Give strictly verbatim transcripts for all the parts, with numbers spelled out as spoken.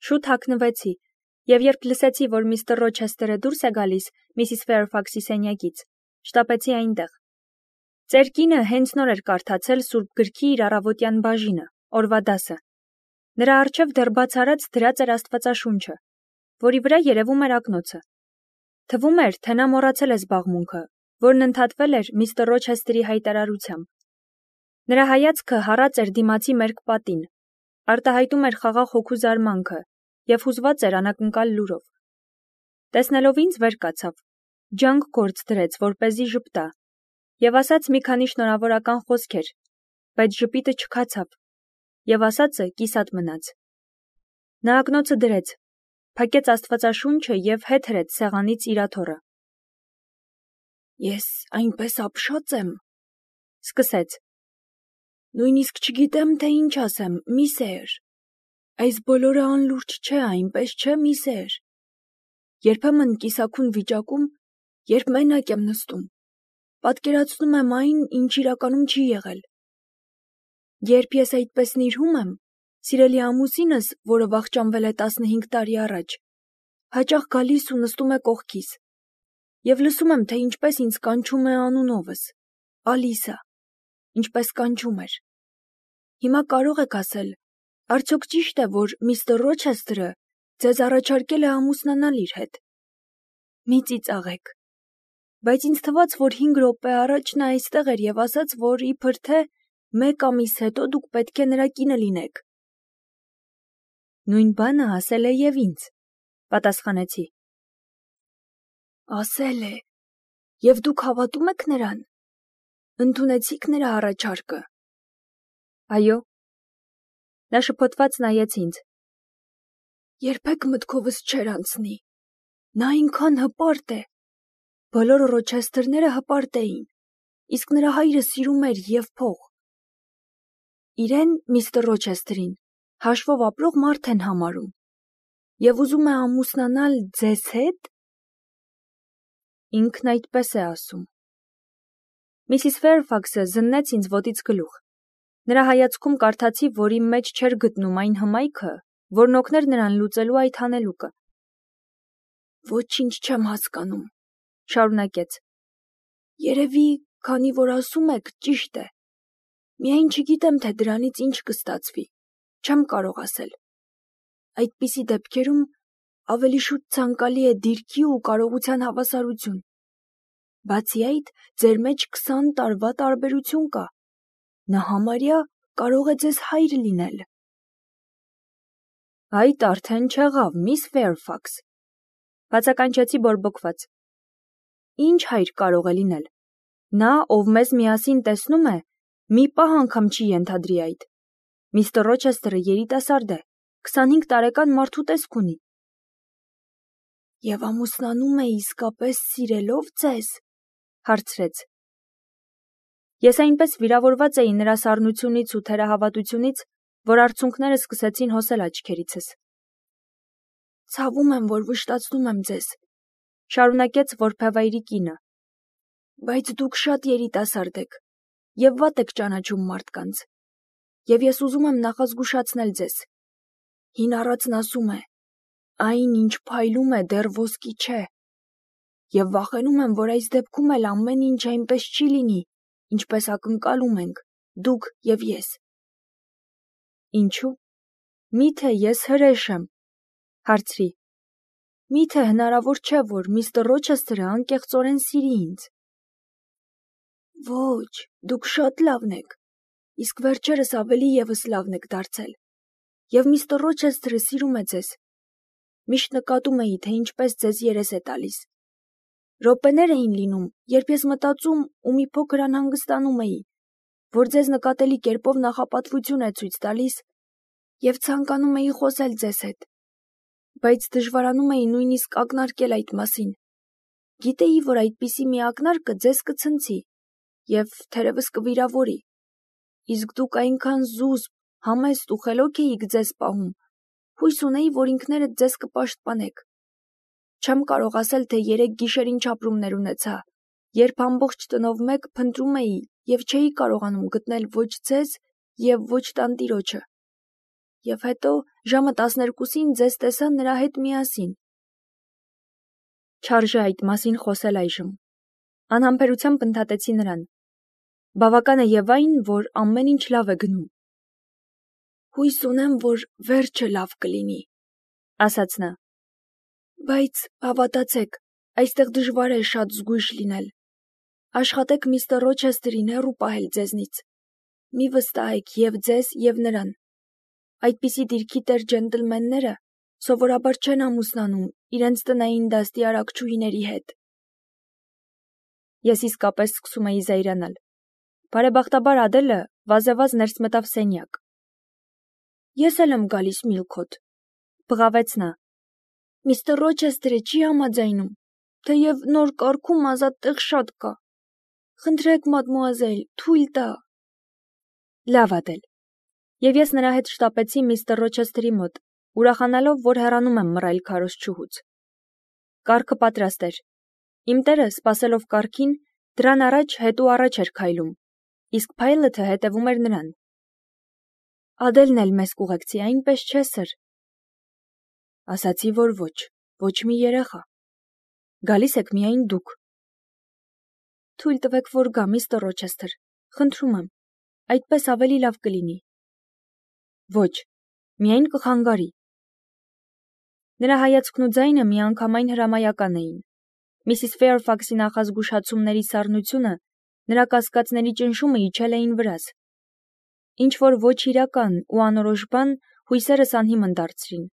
Շուտ հագնվեցի, և երբ լսեցի, որ միստր Ռոչեսթերը դուրս է գալիս Միսիս Ֆեյրֆաքսի սենյակից, շտապեցի այնտեղ։ Ծեր կինը հենց նոր էր կարդացել Սուրբ գրքի իր առավոտյան բաժինը, օրվա դասը։ Նրա առջև դեռ բացառած դրած էր Աստվածաշունչը, որի վրա երևում էր ակնոցը։ Թվում էր, թե նա մոռացել է զբաղմունքը, որն ընդհատվել էր միստր Ռոչեսթերի հայտարարությամբ։ Նրա հայացքը հառած էր դիմացի մերկ պատին, արտահայտում էր խաղաղ հոգու զարմանքը և հուզված էր անակնկալ լուրով։ Տեսնելով ինձ վեր կացավ, ջանք գործ դրեց, որպեսզի ժպտա, և ասաց մի քանի շնորհավորական խոսքեր, բայց ժպիտը չքացավ, և ասածը կիսատ մնաց։ Նա ակնոցը դրեց, փակեց Աստվածաշունչը և հետ հրեց սեղանից իր աթոռը։ «Ես այնպես ապշած եմ», սկսեց։ «Նույնիսկ չգիտեմ, թե ինչ ասեմ, մի սեր։ Այս բոլորը անլուրջ չէ, այնպես չէ, մի սեր։ Երբեմն կիսաքուն վիճակում, երբ մենակ եմ նստում, պատկերացնում եմ այն, ինչ իրականում չի եղել։ Երբ ես այդպես նիրհում եմ, սիրելի ամուսինս, որը վախճանվել է տասնհինգ տարի առաջ, հաճախ գալիս ու նստում է կողքիս, և լսում եմ, թե ինչպես ինձ կանչում է անունովս, Ալիսա, ինչպես կանչում էր։ Հիմա կարող եք ասել, արդյոք ճիշտ է, որ միստր Ռոչեսթերը ձեզ առաջարկել է ամուսնանալ իր հետ։ Մի ծիծաղեք։ Բայց ինձ թվաց, որ հինգ րոպե առաջ նա այստեղ էր և ասաց, որ իբր թե մեկ ամիս հետո դուք պետք է նրա կինը լինեք։ Նույն բանը ասել է և ինձ, պատասխանեցի։ Ասել է, և դուք հավատում եք նրան։ Ընդունեցիք նրա առաջարկը։ Այո։ Նա շփոթված նայեց ինձ։ Երբեք մտքովս չէր անցնի։ Նա այնքան հպարտ է։ Բոլոր Ռոչեսթերները հպարտ էին, իսկ նրա հայրը սիրում էր և փող։ Իրեն, միստր Ռոչեսթերին, հաշվով ապրող մարդ են համարում, և ուզում է ամուսնանալ ձեզ հետ։ Ինքն այդպես է ասում։ Միսիս Ֆեյրֆաքսը զննեց ինձ ոտից գլուխ։ Նրա հայացքում կարդացի, որ իմ մեջ չէր գտնում այն հմայքը, որն օգներ նրան լուծելու այդ հանելուկը։ Ոչինչ չեմ հասկանում, շարունակեց։ Երևի, քանի որ ասում եք, ճիշտ է։ Միայն չգիտեմ, թե դրանից ինչ կստացվի, չեմ կարող ասել։ Այդպիսի դեպքերում ավելի շուտ ցանկալի է դիրքի ու կարողության հավասարություն։ Բացի այդ, ձեր մեջ քսան տարվա տարբերություն կա։ Նա համարյա կարող է ձեզ հայր լինել։ Այդ արդեն չեղավ, միս Ֆեյրֆաքս, բացականչեցի բորբոքված։ Ինչ հայր կարող է լինել։ Նա, ով մեզ միասին տեսնում է, մի պահ անգամ չի ենթադրի այդ։ Միստր Ռոչեսթերը երիտասարդ է, քսանհինգ տարեկան մարդու տեսք ունի։ Եվ ամուսնանում է իսկապես սիրելով ձեզ, հարցրեց։ Ես այնպես վիրավորված էի նրա սառնությունից ու թերահավատությունից, որ արցունքները սկսեցին հոսել աչքերիցս։ Ցավում եմ, որ վշտացնում եմ ձեզ, շարունակեց որբևայրի կինը։ Բայց դուք շատ երիտասարդ եք և վատ եք ճանաչում մարդկանց, և ես ուզում եմ նախազգուշացնել ձեզ։ Հին առածն ասում է. այն, ինչ փայլում է, դեռ ոսկի չէ, և վախենում եմ, որ այս դեպքում էլ ամեն ինչ այնպես չի լինի, ինչպես ակնկալում ենք, դուք և ես։ Ինչու՞։ Մի՞թե ես հրեշ եմ, հարցրի։ Մի՞թե հնարավոր չէ, որ միստր Ռոչեսթերը անկեղծորեն սիրի ինձ։ Ոչ, դուք շատ լավն եք, իսկ վերջերս ավելի ևս լավն եք դարձել, և միստր Ռոչեսթերը սիրում է ձեզ։ Միշտ նկատում էի, թե ինչպես ձեզ երես է տալիս։ Րոպեներ էին լինում, երբ ես մտածում ու մի փոքր անհանգստանում էի, որ ձեզ նկատելի կերպով նախապատվություն է ցույց տալիս, և ցանկանում էի խոսել ձեզ հետ, բայց դժվարանում էի նույնիսկ ակնարկել այդ մասին։ Գիտեի, որ այդպիսի մի ակնարկը ձեզ կցնցի և թերևս կվիրավորի, իսկ դուք այնքան զուսպ, համեստ ու խելոք էիք ձեզ պահում, հույս ունեի, որ ինքներդ ձեզ կպաշտպանեք։ Չեմ կարող ասել, թե երեք գիշեր ինչ ապրումներ ունեցա, երբ ամբողջ տնով մեկ փնտրում էի և չէի կարողանում գտնել ոչ ձեզ և ոչ տանտիրոջը։ եւ հետո ժամը տասներկուսին ձեզ տեսա նրա հետ միասին։ Չարժե այդ մասին խոսել այժմ։ Անհամբերությամբ ընդհատեցի նրան։ Բավական է եւ այն, որ ամեն ինչ լավ է գնում։ Հույս ունեմ, որ վերջը լավ կլինի, ասաց նա։ Բայց հավատացեք, այստեղ դժվար է շատ զգույշ լինել։ Աշխատեք միստր Ռոչեսթերին հեռու պահել ձեզնից։ Մի վստահեք եւ ձեզ եւ նրան։ Այդպիսի դիրքի տեր ջենտլմենները սովորաբար չեն ամուսնանում իրենց տնային դաստի արակչուհիների հետ։ Ես իսկապես սկսում էի զայրանալ։ Բարեբախտաբար Ադելը վազեվազ ներս մտավ սենյակ։ Ես էլ եմ գալիս, Միլքոթ, բղավեց նա։ Միստր Ռոչեսթերը չի համաձայնում, թեև նոր կարգում ազատ տեղ շատ կա։ Խնդրեք, մադմուազել, թույլ տա։ Լավ, Ադել։ Եվ ես նրա հետ շտապեցի միստր Ռոչեսթերի մոտ, ուրախանալով, որ հեռանում եմ մռայլ քարոզչուհուց։ Կարգը պատրաստ էր։ Իմ տերը, սպասելով կարգին, դրան առաջ հետո առաջ էր քայլում, իսկ Փայլոթը հետևում էր նրան։ Ադելն էլ մեզ կուղեկցի, այնպես չէ, սըր։ Ասացի, որ ոչ, ոչ մի երեխա։ Գալիս եք միայն դուք։ Թույլ տվեք, որ գա, միստր Ռոչեսթեր, խնդրում եմ, այդպես ավելի լավ կլինի։ Ոչ, միայն կխանգարի։ Նրա հայացքն ու ձայնը միանգամայն հրամայական էին։ Միսիս Ֆեյրֆաքսի նախազգուշացումների սառնությունը, նրա կասկածների ճնշումը իջել էին վրաս։ Ինչ որ ոչ իրական ու անորոշ բան հույսերս անհիմն դարձրին։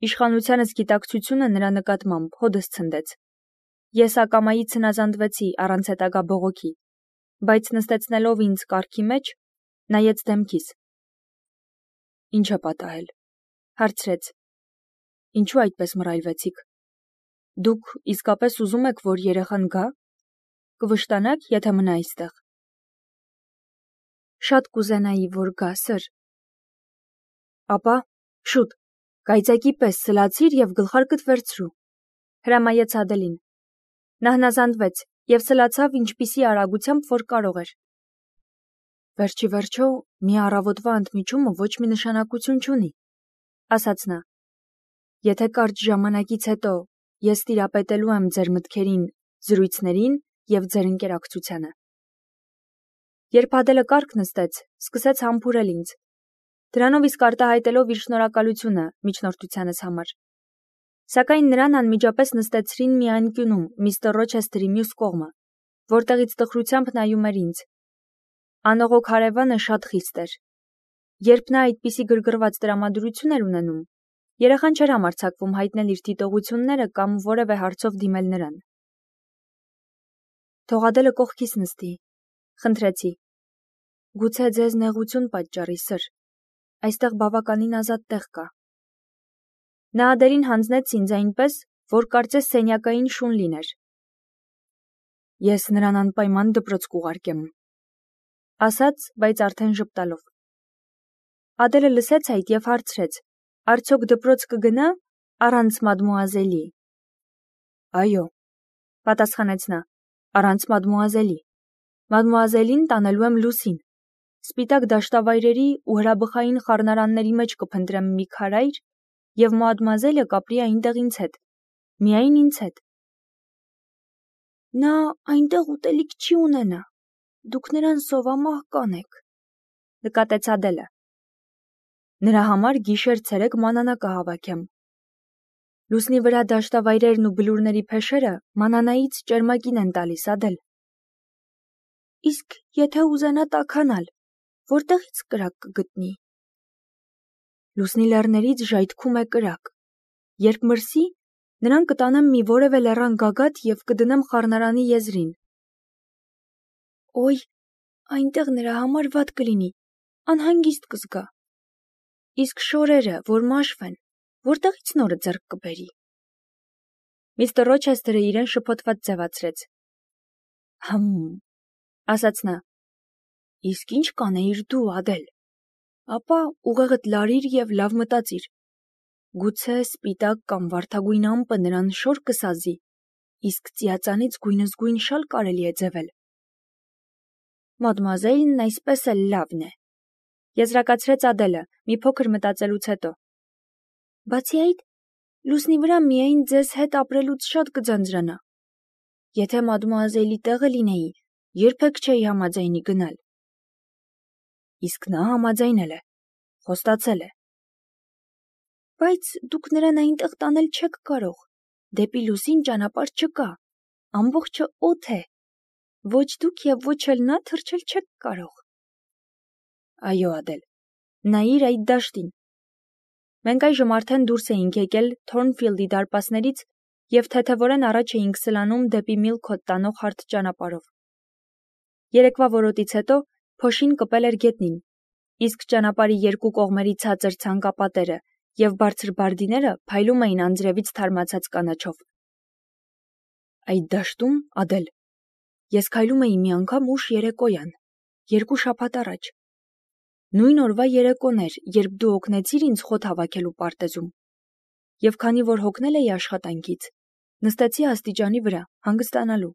Իշխանությանս գիտակցությունը նրա նկատմամբ հոդս ցնդեց։ Ես ակամայից հնազանդվեցի առանց հետագա բողոքի, բայց նստեցնելով ինձ կառքի մեջ, նայեց դեմքիս։ Ինչ է պատահել, հարցրեց։ Ինչու այդպես մռայլվեցիք։ Դուք իսկապես ուզում եք, որ երեխան գա։ Կվշտանաք, եթե մնա այստեղ։ Շատ կուզենայի, որ գա, սըր։ Ապա, շուտ, կայծակի պես սլացիր եւ գլխարկդ վերցրու, հրամայեց Ադելին։ Նա հնազանդվեց եւ սլացավ ինչպիսի արագությամբ, որ կարող էր։ Վերջի վերջո, մի առավոտվա ընդմիջումը ոչ մի նշանակություն չունի, ասաց նա։ Եթե կարճ ժամանակից հետո ես տիրապետելու եմ ձեր մտքերին, զրույցներին եւ ձեր ընկերակցությանը։ Երբ Ադելը կառք նստեց, սկսեց համբուրել ինձ, դրանով իսկ արտահայտելով իր շնորհակալությունը միջնորդությանս համար։ Սակայն նրան անմիջապես նստեցրին մի անկյունում միստր Ռոչեսթերի մյուս կողմը, որտեղից տխրությամբ նայում էր ինձ։ Անողոք հարևանը շատ խիստ էր։ Երբ նա այդպիսի գրգռված տրամադրություն էր ունենում, երեխան չէր համարձակվում հայտնել իր դիտողությունները կամ որևէ հարցով դիմել նրան։ Թող Ադելը կողքիս նստի, խնդրեցի։ Գուցե ձեզ նեղություն պատճառի, սըր, այստեղ բավականին ազատ տեղ կա։ Նա Ադելին հանձնեց ինձ այնպես, որ կարծես սենյակային շուն լիներ։ Ես նրան անպայման դպրոց կուղարկեմ, ասաց, բայց արդեն ժպտալով։ Ադելը լսեց այդ եւ հարցրեց. Արդյոք դպրոց կգնա առանց մադմուազելի։ Այո, պատասխանեց նա, առանց մադմուազելի։ Մադմուազելին տանելու եմ Լուսին։ Սպիտակ դաշտավայրերի ու հրաբխային խառնարանների մեջ կփնտրեմ մի քարայր եւ մադմուազելը կապրի այնտեղ ինձ հետ։ Միայն ինձ հետ։ Նա այնտեղ ուտելիք չի ունենա։ Դուք նրան սովամահ կանեք, նկատեց Ադելը։ Նրա համար գիշեր-ցերեկ մանանա կհավաքեմ։ Լուսնի վրա դաշտավայրերն ու բլուրների փեշերը մանանայից ճերմակին են տալիս, Ադել։ Իսկ եթե ուզենա տաքանալ, որտեղից կրակ կգտնի։ Լուսնի լեռներից ժայթքում է կրակ։ Երբ մրսի, նրան կտանեմ մի որևէ լեռան գագաթ եւ կդնեմ խառնարանի եզրին։ Ոյ, այնտեղ նրա համար վատ կլինի, անհանգիստ կզգա։ Իսկ շորերը, որ մաշվեն, որտեղից նորը ձեռք կբերի։ Միստր Ռոչեսթերը իրեն շփոթված ձևացրեց։ Հմ, ասաց նա։ Իսկ ինչ կանեիր դու, Ադել։ Ապա ուղեղդ լարիր եւ լավ մտածիր։ Գուցե սպիտակ կամ վարդագույն ամպը նրան շոր կսազի, իսկ ծիածանից գույնզգույն շալ կարելի է ձևել։ Մադմուազելն այսպես էլ լավն է։ Եզրակացրեց Ադելը, մի փոքր մտածելուց հետո։ Բացի այդ, լուսնի վրա միայն ձեզ հետ ապրելուց շատ կձանձրանա։ Եթե մադմուազելի տեղը լինեի, երբեք չէի համաձայնի գնալ։ Իսկ նա համաձայնել է, խոստացել է։ Բայց դուք նրան այնտեղ տանել չեք կարող, դեպի լուսին ճանապարհ չկա, ամբողջը օդ է, ոչ դուք և ոչ էլ նա թռչել չեք կարող։ Այո, Ադել, նայիր այդ դաշտին։ Մենք այժմ արդեն դուրս էինք եկել Թորնֆիլդի դարպասներից և թեթևորեն առաջ էինք սլանում դեպի Միլքոթ տանող հարթ ճանապարհով։ Երեկվա որոտից հետո փոշին կպել էր գետնին, իսկ ճանապարհի երկու կողմերի ցածր ցանկապատերը և բարձր բարդիները փայլում էին անձրևից թարմացած կանաչով։ Այդ դաշտում, Ադել, ես քայլում էի մի անգամ ուշ երեկոյան, երկու շաբաթ առաջ։ Նույն օրվա երեկոն էր, երբ դու օգնեցիր ինձ խոտ հավաքելու պարտեզում։ Եվ քանի որ հոգնել էի աշխատանքից, նստեցի աստիճանի վրա, հանգստանալու։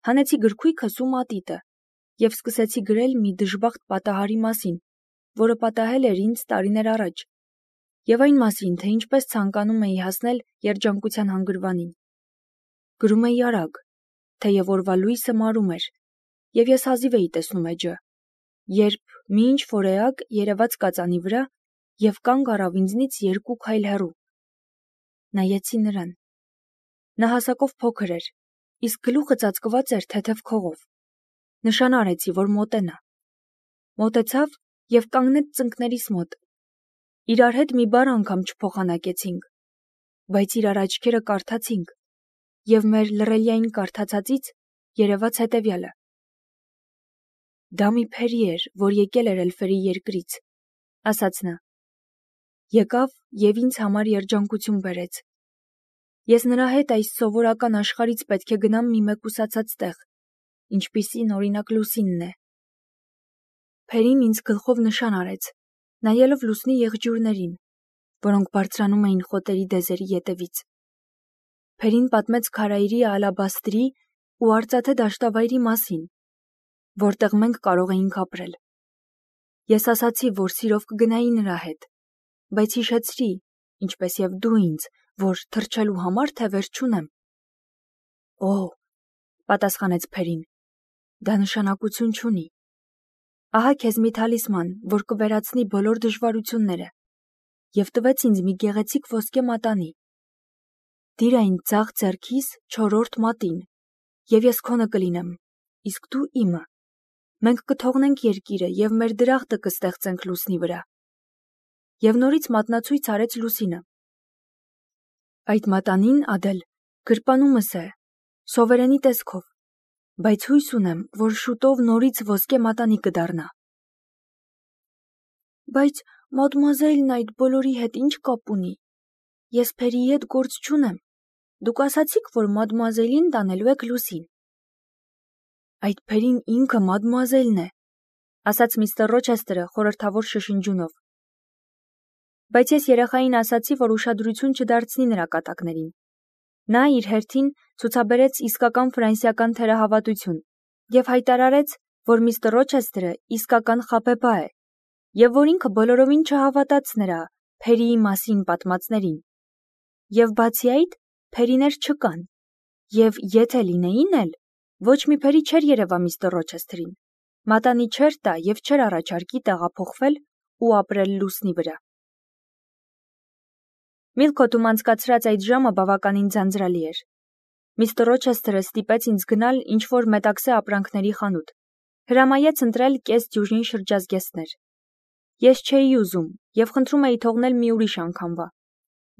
Հանեցի գրքույկս ու մատիտը և սկսեցի գրել մի դժբախտ պատահարի մասին, որը պատահել էր ինձ տարիներ առաջ, և այն մասին, թե ինչպես ցանկանում էի հասնել երջանկության հանգրվանին։ Գրում էի արագ, թեև օրվա լույսը մարում էր, և ես հազիվ էի տեսնում էջը, երբ մի ինչ-որ էակ երևաց կածանի վրա և կանգ առավ ինձնից երկու քայլ հեռու։ Նայեցի նրան։ Նա հասակով փոքր էր, իսկ գլուխը ծածկված էր թեթև քողով։ Նշան արեցի, որ մոտենա։ Մոտեցավ և կանգնեց ծնկներիս մոտ։ Իրար հետ մի բառ անգամ չփոխանակեցինք, բայց իրար աչքերը կարդացինք, և մեր լռելիային կարդացածից երևաց հետևյալը. Դա մի փերի էր, որ եկել էր էլֆերի երկրից, ասաց նա։ Եկավ և ինձ համար երջանկություն բերեց։ Ես նրա հետ այս սովորական աշխարհից պետք է գնամ մի մեկուսացած տեղ, ինչպիսին օրինակ լուսինն է։ Փերին ինձ գլխով նշան արեց, նայելով լուսնի եղջյուրներին, որոնք բարձրանում էին խոտերի դեզերի ետևից։ Փերին պատմեց քարայրի ալաբաստրի ու արծաթե դաշտավայրի մասին, որտեղ մենք կարող էինք ապրել։ Ես ասացի, որ սիրով կգնայի նրա հետ, բայց հիշեցրի, ինչպես և դու ինձ, որ թռչելու համար թևեր չունեմ։ Օ, պատասխանեց Փերին, դա նշանակություն չունի։ Ահա քեզ մի թալիսման, որ կվերացնի բոլոր դժվարությունները, և տվեց ինձ մի գեղեցիկ ոսկե մատանի։ Դիր այն ձախ ձեռքիս չորրորդ մատին, և ես քոնը կլինեմ, իսկ դու իմը։ Մենք կթողնենք երկիրը և մեր դրախտը կստեղծենք լուսնի վրա։ Եվ նորից մատնացույց արեց լուսինը։ Այդ մատանին, Ադել, գրպանումս է, սովերենի տեսքով, բայց հույս ունեմ, որ շուտով նորից ոսկե մատանի կդառնա։ Բայց մադմուազելն այդ բոլորի հետ ինչ կապ ունի։ Ես Փերիի հետ գործ չունեմ։ Դուք ասացիք, որ մադմուազելին տանելու եք լուսին։ Այդ Փերին ինքը մադմուազելն է, ասաց միստր Ռոչեսթերը խորհրդավոր շշնջյունով։ Բայց ես երեխային ասացի, որ ուշադրություն չդարձնի նրա կատակներին։ Նա իր հերթին ցուցաբերեց իսկական ֆրանսիական թերահավատություն և հայտարարեց, որ միստր Ռոչեսթերը իսկական խաբեբա է, և որ ինքը բոլորովին չհավատաց նրա Փերիի մասին պատմածներին։ Եվ բացի այդ, Փերիներ չկան, և եթե լինեին էլ, ոչ մի Փերի չէր երևա միստր Ռոչեսթերին, մատանի չէր տա և չէր առաջարկի տեղափոխվել ու ապրել լուսնի վրա։ Միլքոթում անցկացրած այդ ժամը բավականին ձանձրալի էր։ Միստր Ռոչեսթերը ստիպեց ինձ գնալ ինչ-որ մետաքսե ապրանքների խանութ, հրամայեց ընտրել կես դյուժին շրջազգեստներ։ Ես չէի ուզում և խնդրում էի թողնել մի ուրիշ անգամվա,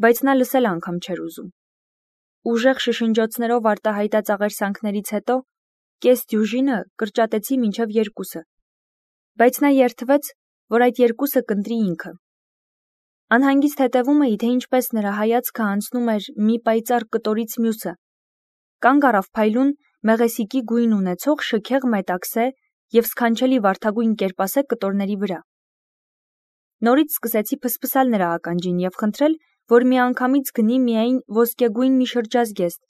բայց նա լսել անգամ չէր ուզում։ Ուժեղ շշնջոցներով արտահայտած աղերսանքներից հետո կես դյուժինը կրճատեցի մինչև երկուսը, բայց նա երդվեց, որ այդ երկուսը կընտրի ինքը։ Անհանգիստ հետևում էի, թե ինչպես նրա հայացքը անցնում էր մի պայծառ կտորից մյուսը, կանգ առավ փայլուն մեղեսիկի գույն ունեցող շքեղ մետաքսե և սքանչելի վարդագույն կերպասե կտորների վրա։ Նորից սկսեցի փսփսալ նրա ականջին և խնդրել, որ միանգամից գնի միայն ոսկեգույն մի շրջազգեստ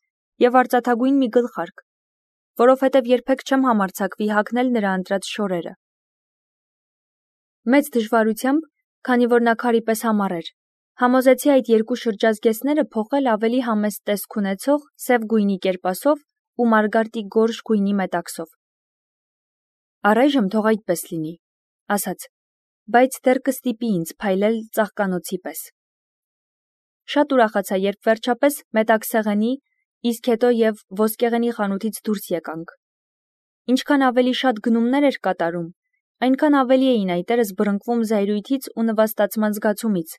և արծաթագույն մի գլխարկ, որովհետև երբեք չեմ համարձակվի հագնել նրա ընտրած շորերը։ Մեծ դժվարությամբ, քանի որ նա քարի պես համառ էր, համոզեցի այդ երկու շրջազգեստները փոխել ավելի համեստ տեսք ունեցող սև գույնի կերպասով ու մարգարտի գորշ գույնի մետաքսով։ Առայժմ թող այդպես լինի, ասաց, բայց դեռ կստիպի ինձ փայլել ծաղկանոցի պես։ Շատ ուրախացա, երբ վերջապես մետաքսեղենի, իսկ հետո և ոսկեղենի խանութից դուրս եկանք։ Ինչքան ավելի շատ գնումներ էր կատարում, այնքան ավելի էին այտերս բռնկվում զայրույթից ու նվաստացման զգացումից,